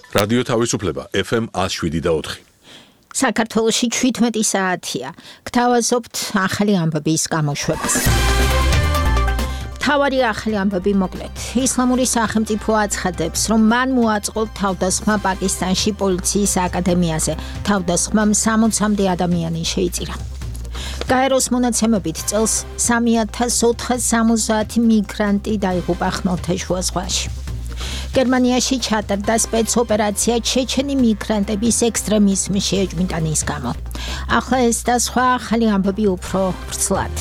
რადიო თავისუფლება FM 107.4. საქართველოში 17 საათია. გთავაზობთ ახალი ამბების გამოშვებას. მთავარი ახალი ამბები მოკლედ. ისლამური სახელმწიფო აცხადებს, რომ მან მოაწყო თავდასხმა პაკისტანში პოლიციის აკადემიაზე. თავდასხმამ 60-მდე ადამიანი შეიწირა. გაეროს მონაცემებით წელს 3470 მიგრანტი დაიღუპა ხმელთაშუა ზღვაში. გერმანიაში ჩატარდა სპეცოპერაცია ჩეჩენი მიგრანტების ექსტრემიზმის შეჯვინტანის გამო. ახლა ეს და სხვა ახალი ამბები უფრო ვრცლად.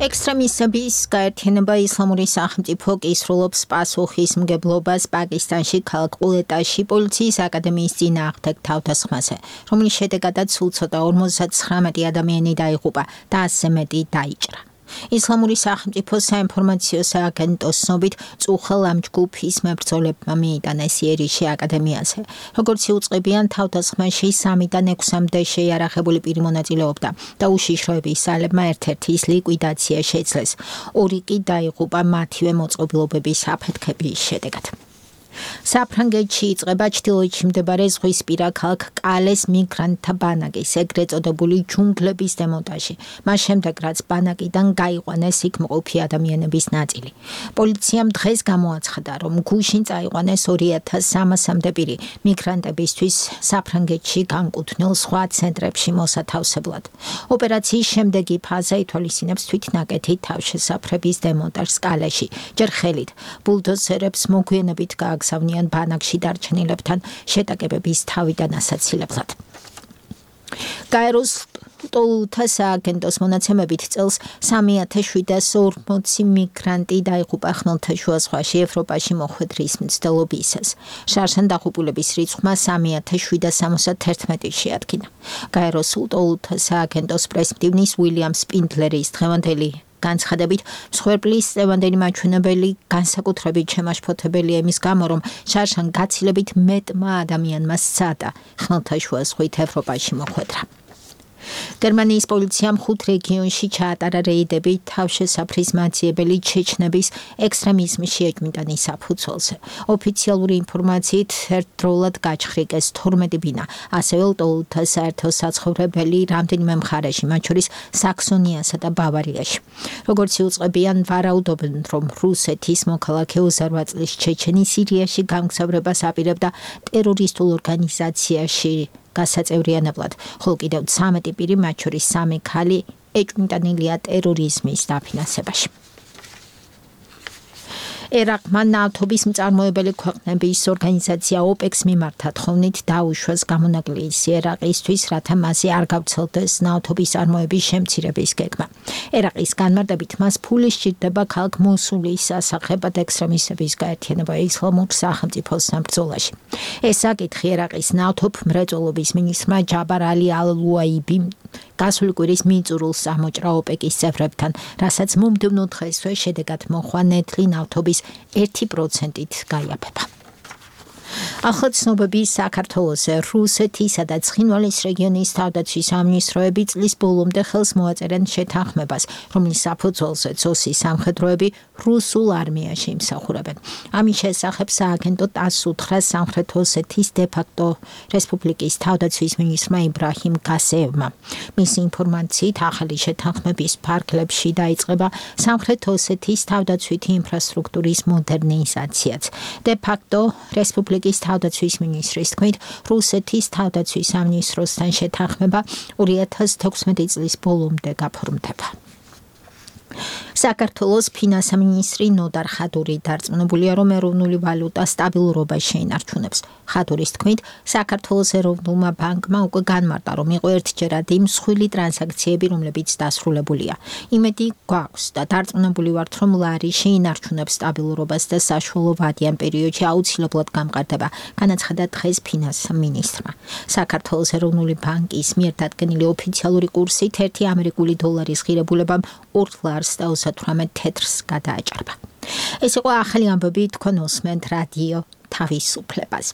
ექსტრემისტების გაერთიანება ისლამური სახელმწიფო კისრულობს პასუხისმგებლობას პაკისტანში ქალაქ ყულეტაში პოლიციის აკადემიის წინააღმდეგ თავდასხმაზე, რომლის შედეგადაც სულ ცოტა 59 ადამიანი დაიღუპა და 100 მეტი დაიჭრა. ისლამური სახელმწიფო საინფორმაციო სააგენტოს ცნობით წუხელ ამ ჯგუფის მებრძოლებმა მიიტანეს იერიშე აკადემიაზე. როგორც იუწყებიან, თავდასხმაში 3-დან 6-მდე შეიარაღებული პირი მონაწილეობდა და უშიშროების ძალებმა ერთ-ერთის ლიკვიდაცია შეძლეს. 2 კი დაიღუპა მათივე მოწყობილობების აფეთქების შედეგად. საფრანგეთში იწყება ჩრდილოეთში მდებარე ზღვისპირა ქალაქ კალეს მიგრანტთა ბანაკის ეგრეთ წოდებული ჯუნგლების დემონტაჟი. მას შემდეგ, რაც ბანაკიდან გაიყვანეს იქ მყოფი ადამიანების ნაწილი. პოლიციამ დღეს გამოაცხადა, რომ გუშინ წაიყვანეს 2300-მდე პირი მიგრანტებისთვის საფრანგეთში განკუთვნილ სხვა ცენტრებში მოსათავსებლად. ოპერაციის შემდეგი ფაზა ითვალისწინებს თვითნაკეთი თავშესაფრების დემონტაჟს კალეში, ჯერ ხელით, ბულდოზერებს მოგვიანებით გააგზავნიან ბანაკში დარჩენილებთან შეტაკებების თავიდან ასაცილებლად. გაეროს ტოლთა სააგენტოს მონაცემებით წელს 3740 მიგრანტი დაიღუპა ხმელთაშუა ზღვაში ევროპაში მოხვედრის მცდელობისას. შარშან დაღუპულების რიცხვმა 3771 შეადგინა. გაეროს ტოლთა სააგენტოს პრესმდივნის უილიამ სპინდლერის დღევანდელი განცხადებით, მსხვერპლის წლევანდელი მაჩვენებელი განსაკუთრებით შემაშფოთებელია იმის გამო, რომ შარშან გაცილებით მეტმა ადამიანმა სცადა ხმელთაშუა ზღვით ევროპაში მოხვედრა. გერმანიის პოლიციამ 5 რეგიონში ჩაატარა რეიდები თავშესაფრის მაძიებელი ჩეჩნების ექსტრემიზმის შეჯვინტანის საფუძველზე. ოფიციალური ინფორმაციით ერთდროულად გაჩხრიკეს 12 ბინა, ასევე ლტოლთა საერთო საცხოვრებელი რამდენიმე მხარეში, მათ შორის საქსონიასა და ბავარიაში. როგორც იუწყებიან, ვარაუდობენ, რომ რუსეთის მოქალაქე 28 წლის ჩეჩენი სირიაში გამგზავრებას აპირებდა ტერორისტულ ორგანიზაციაში გასაწევრიანებლად, ხოლო კიდევ 13 პირი, მათ შორის 3 ქალი, ეჭვმიტანილია ტერორიზმის დაფინანსებაში. ერაყმა ნავთობის მწარმოებელი ქვეყნების ორგანიზაცია OPEC-ს მიმართა თხოვნით დაუშვეს გამონაკლისი ერაყისთვის, რათა მასზე არ გავრცელდეს ნავთობის წარმოების შემცირების გეგმა. ერაყის განმარტებით მას ფული სჭირდება ქალაქ მოსულის ასახებად ექსტრემისტების გაერთიანება ისლამურ სახელმწიფოს ბრძოლაში. ეს საკითხი ერაყის ნავთობ მრეწველობის მინისტრმა ჯაბარ ალი ალ-ლუაიბიმ გასული კვირის მიწურულს ამოჭრა OPEC-ის წევრებთან, რასაც მომდევნო დღესვე შედეგად მოხვა ნედლი ნავთობის 1%-ით გაიაფება. ახლა ცნობები საქართველოზე. რუსეთისა და ცხინვალის რეგიონის თავდაცვის სამინისტროები წლის ბოლომდე ხელს მოაწერენ შეთანხმებას, რომლის საფუძველზე ოსის სამხედროები რუსულ არმიაში იმსახურებენ. ამის შესახებ სააგენტო ტასს უთხრა სამხრეთ ოსეთის დე-ფაქტო რესპუბლიკის თავდაცვის მინისტრმა იბრაჰიმ გასეევმა. მისი ინფორმაციით, ახალი შეთანხმების ფარგლებში დაიწყება სამხრეთ ოსეთის თავდაცვითი ინფრასტრუქტურის მოდერნიზაციაც. დე-ფაქტო რესპუბლიკის თავდაცვის მინისტრის თქმით, რუსეთის თავდაცვის სამინისტროსთან შეთანხმება 2016 წლის ბოლომდე გაფორმდება. საქართველოს ფინანსთა მინისტრი ნოდარ ხადური დარწმუნებულია, რომ ეროვნული ვალუტა სტაბილურობას შეინარჩუნებს. ხადურის თქმით, საქართველოს ეროვნულმა ბანკმა უკვე განმარტა, რომ იყო ერთჯერადი მსხვილი ტრანზაქციები, რომლებიც დასრულებულია. იმედი გვაქვს და დარწმუნებული ვართ, რომ ლარი შეინარჩუნებს სტაბილურობას და საშუალო ვადიან პერიოდში აუცილებლად გამყარდება, განაცხადა დღეს ფინანსთა მინისტრმა. საქართველოს ეროვნული ბანკის მიერ დადგენილი ოფიციალური კურსით 1 ამერიკული დოლარის ღირებულებამ 2 ლარს და 38 თეთრს გადააჭარბა. ეს იყო ახალი ამბები, თქვენ უსმენთ რადიო თავისუფლებას.